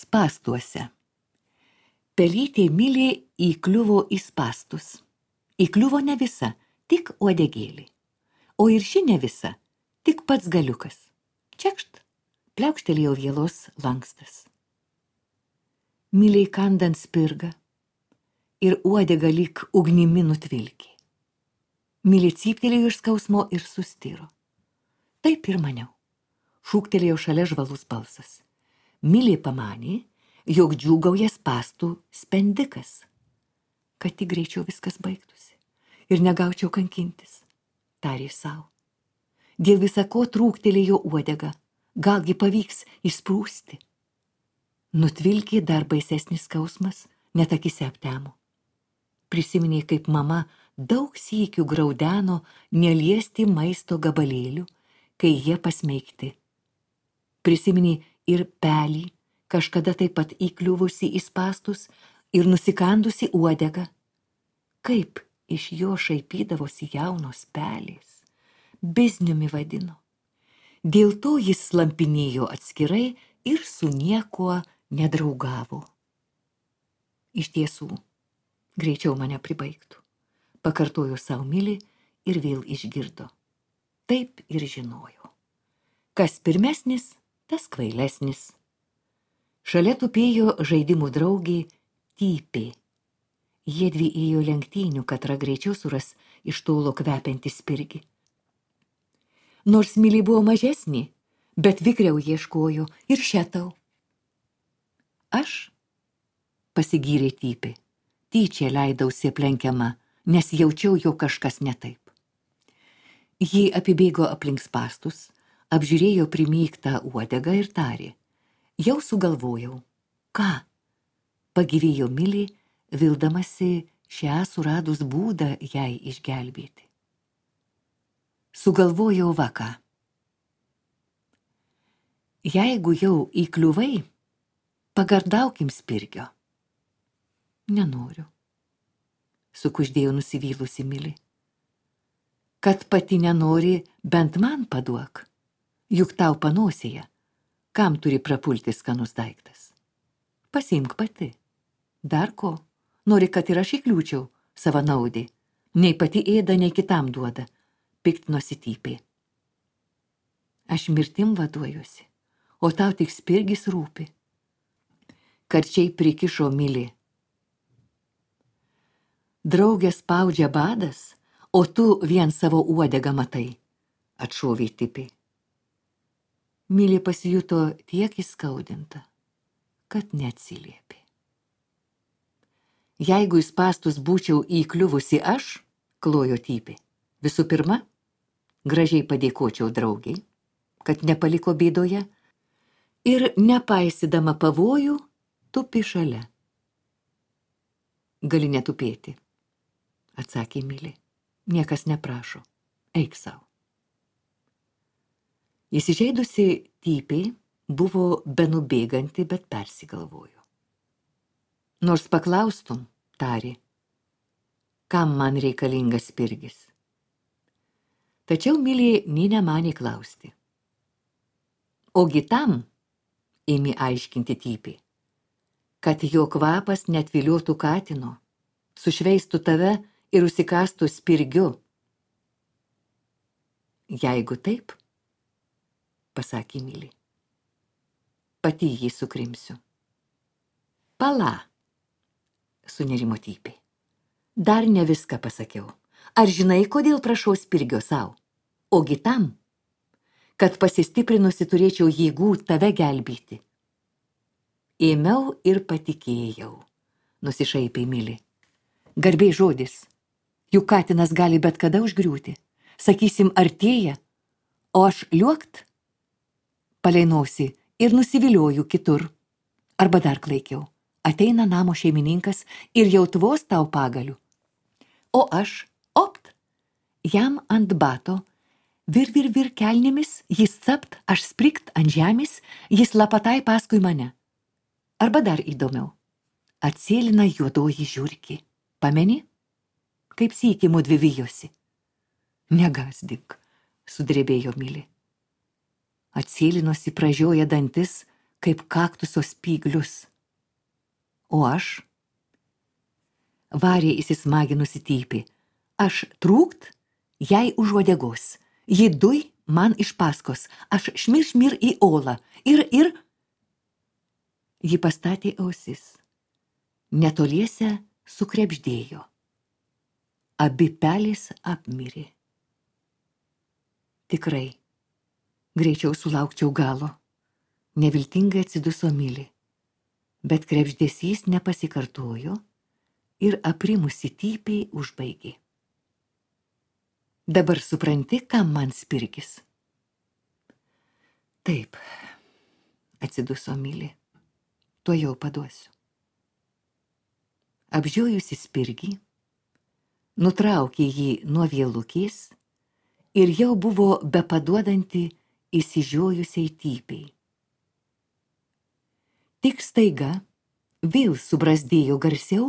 Spastuose. Pelytė Milė įkliuvo į spastus. Įkliuvo ne visa, tik uodegėlė. O ir ši ne visa, tik pats galiukas. Čekšt, pliaukštelėjo vielos lankstas. Milei kandant spirga ir uodega lyg ugnimi nutvilkė. Milė cyptelėjo iš skausmo ir sustiro. Taip ir maniau, šūktelėjo šalia žvalus balsas. Milė pamanė, jog džiūgauja spastų spendikas, kad tik greičiau viskas baigtųsi ir negaučiau kankintis, tarė savo. Dėl visako trūktelėjo uodega, galgi pavyks išsprūsti. Nutvilkė dar baisesnis skausmas, net akise aptemo. Prisiminė, kaip mama daug sykių graudeno neliesti maisto gabalėlių, kai jie pasmeigti. Prisiminė ir pelį, kažkada taip pat įkliuvusi į spastus ir nusikandusi uodegą. Kaip iš jo šaipydavosi jaunos pelės, bizniumi vadino. Dėl to jis slampinėjo atskirai ir su niekuo nedraugavo. Iš tiesų, greičiau mane pribaigtų, pakartojo savo Milė ir vėl išgirdo. Taip ir žinojo. Kas pirmesnis, tas kvailesnis. Šalia tupėjo žaidimų draugė Typė. Jiedvi ėjo lenktynių, katra greičiau suras iš tolo kvepiantį spirgį. Nors Milė buvo mažesnė, bet vikriau ieškojo ir šetau. Aš, pasigyrė Typė, tyčia leidausi aplenkiama, nes jaučiau, jo kažkas ne taip. Ji apibėgo aplink spastus, apžiūrėjo primygtą uodegą ir tarė. Jau sugalvojau. Ką? Pagyvėjo Milė, vildamasi šią suradus būdą jai išgelbėti. Sugalvojau vaką. Jeigu jau įkliuvai, pagardaukim spirgio. Nenoriu, sukuždėjo nusivylusi Milė. Kad pati nenori, bent man paduok, juk tau panosėje. Kam turi prapulti skanus daiktas? Pasiimk pati. Dar ko? Nori, kad ir aš įkliūčiau savanaudį. Nei pati ėda, nei kitam duoda. Piktinosi Typė. Aš mirtim vaduojuosi, o tau tik spirgis rūpi. Karčiai prikišo Milė. Draugė spaudžia badas, o tu vien savo uodegą matai, atšovė Typė. Milė pasijuto tiek įskaudinta, kad neatsiliepė. Jeigu į spastus būčiau įkliuvusi aš, klojo Typė, visų pirma, gražiai padėkočiau draugiai, kad nepaliko bėdoje ir nepaisydama pavojų, tupi šalia. Gali netupėti, atsakė Milė. Niekas neprašo, eik savo. Įsižeidusi Typė buvo benubėganti, bet persigalvojo. Nors paklaustum, tarė, kam man reikalingas spirgis. Tačiau Milė nė nemanė klausti. Ogi tam, ėmė aiškinti Typė, kad jo kvapas netviliotų katino, sušveistų tave ir užsikastų spirgiu. Jeigu taip, pasakė Milė, pati jį sukrimsiu. Pala, sunerimo Typė. Dar ne viską pasakiau. Ar žinai, kodėl prašau spirgio savo? Ogi tam, kad pasistiprinusi turėčiau jėgų tave gelbėti. Ėmiau ir patikėjau, nusišaipė Milė. Garbė žodis, juk katinas gali bet kada užgriūti. Sakysim, artėja, o aš liuokt? Paleinausi ir nusivilioju kitur. Arba dar klaikiau, ateina namo šeimininkas ir jau tvos tau pagaliu. O aš, opt, jam ant bato, vir kelnėmis, jis capt, aš sprikt ant žemės, jis lapatai paskui mane. Arba dar įdomiau, atsėlina juodoji žiurkė. Pameni? Kaip sykį mudvi vijosi. Negąsdink, sudrebėjo Milė. Atsėlinosi, pražioja dantis, kaip kaktuso spyglius. O aš? Varė įsismaginusi typė. Aš trūkt, jai už uodegos. Ji duj man iš paskos. Aš šmir į olą. Ir... Ji pastatė ausis. Netoliese sukrebždėjo. Abi pelės apmirė. Tikrai, greičiau sulaukčiau galo. Neviltingai atsiduso Milė. Bet krebždesys nepasikartojo ir aprimusi typiai užbaigė. Dabar supranti, kam man spirgis? Taip, atsiduso Milė. Tuojau paduosiu. Apžiojusi spirgį, nutraukė jį nuo vielukės ir jau buvo bepaduodanti įsižiojusiai typiai. Tik staiga vėl subrazdėjo garsiau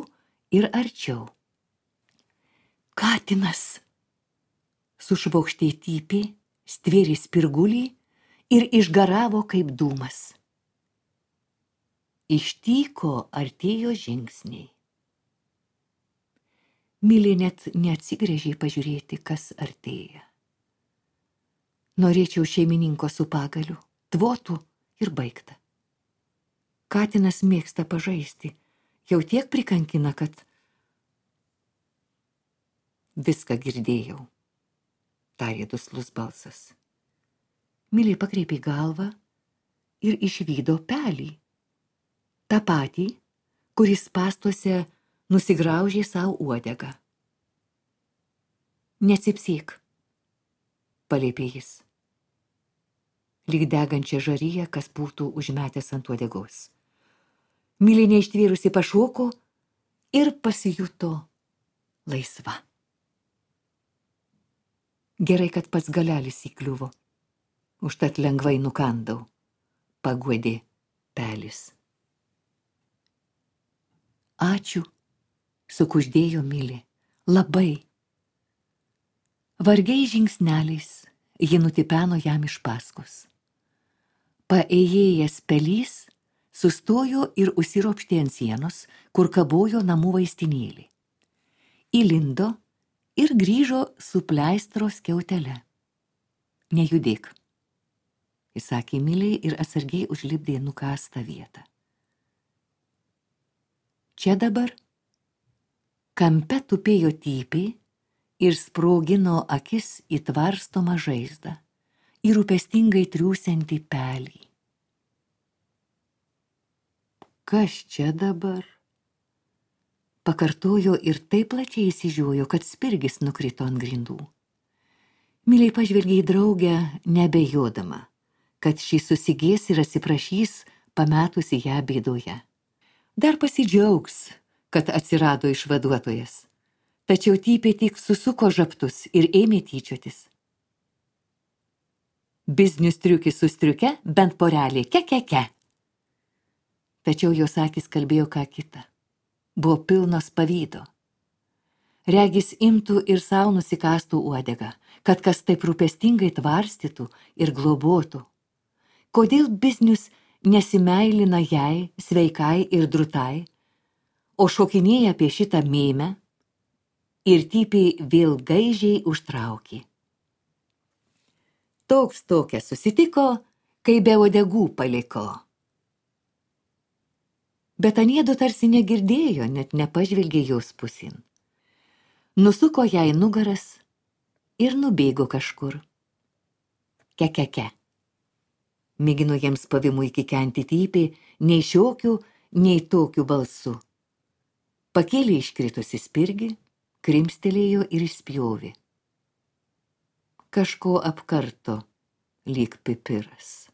ir arčiau. Katinas! Sušvokštė typė, stvėrė spirgulį ir išgaravo kaip dūmas. Iš tyko artėjo žingsniai. Milė net neatsigręžė pažiūrėti, kas artėja. Norėčiau šeimininko su pagaliu, tvotų ir baigta. Katinas mėgsta pažaisti, jau tiek prikankina, kad... Viską girdėjau, tarė duslus balsas. Milė pakreipė galvą ir išvydo pelį. Ta patį, kuris pastuose nusigraužė savo uodegą. Necypsyk, paliepė jis. Lyg degančią žaryją, kas būtų užmetęs ant uodegos. Milė neištvėrusi pašoko ir pasijuto laisva. Gerai, kad pats galelis įkliuvo. Užtat lengvai nukandau, paguodė pelis. Ačiū, sukuždėjo Milė, labai. Vargiai žingsneliais ji nutipeno jam iš paskos. Paėjėjęs pelys sustojo ir užsiropštė ant sienos, kur kabojo namų vaistinėlį. Įlindo ir grįžo su pleistro skiautele. Nejudėk, įsakė Milė ir atsargiai užlipdė nukastą vietą. Čia dabar kampe tupėjo typė ir sprogino akis į tvarstomą žaizdą ir rūpestingai triūsiantį pelį. Kas čia dabar? Pakartojo ir taip plačiai įsižiojo, kad spirgis nukrito ant grindų. Milė pažvelgė į draugę, nebejodama, kad ši susigės ir atsiprašys, pametusi ją bėdoje. Dar pasidžiaugs, kad atsirado išvaduotojas. Tačiau typė tik susuko žabtus ir ėmė tyčiotis. Biznius striukis su striuke, bent porelė, ke. Tačiau jos akys kalbėjo ką kitą. Buvo pilnos pavydo. Regis imtų ir savo nusikastų uodegą, kad kas taip rūpestingai tvarstytų ir globotų. Kodėl biznius nesimeilina jai, sveikai ir drutai, o šokinėja apie šitą mėmę? Ir typiai vėl gaižiai užtraukė. Toks tokia susitiko, kai be uodegų paliko. Bet aniedu tarsi negirdėjo, net nepažvelgė jos pusin. Nusuko jai nugaras ir nubėgo kažkur. Ke. Mėgino jiems pavimui kikenti typė, nei šiokių, nei tokių balsų. Pakėlė iškritusi spirgį, krimstelėjo ir išspjovė. Kažko apkarto, lyg pipiras.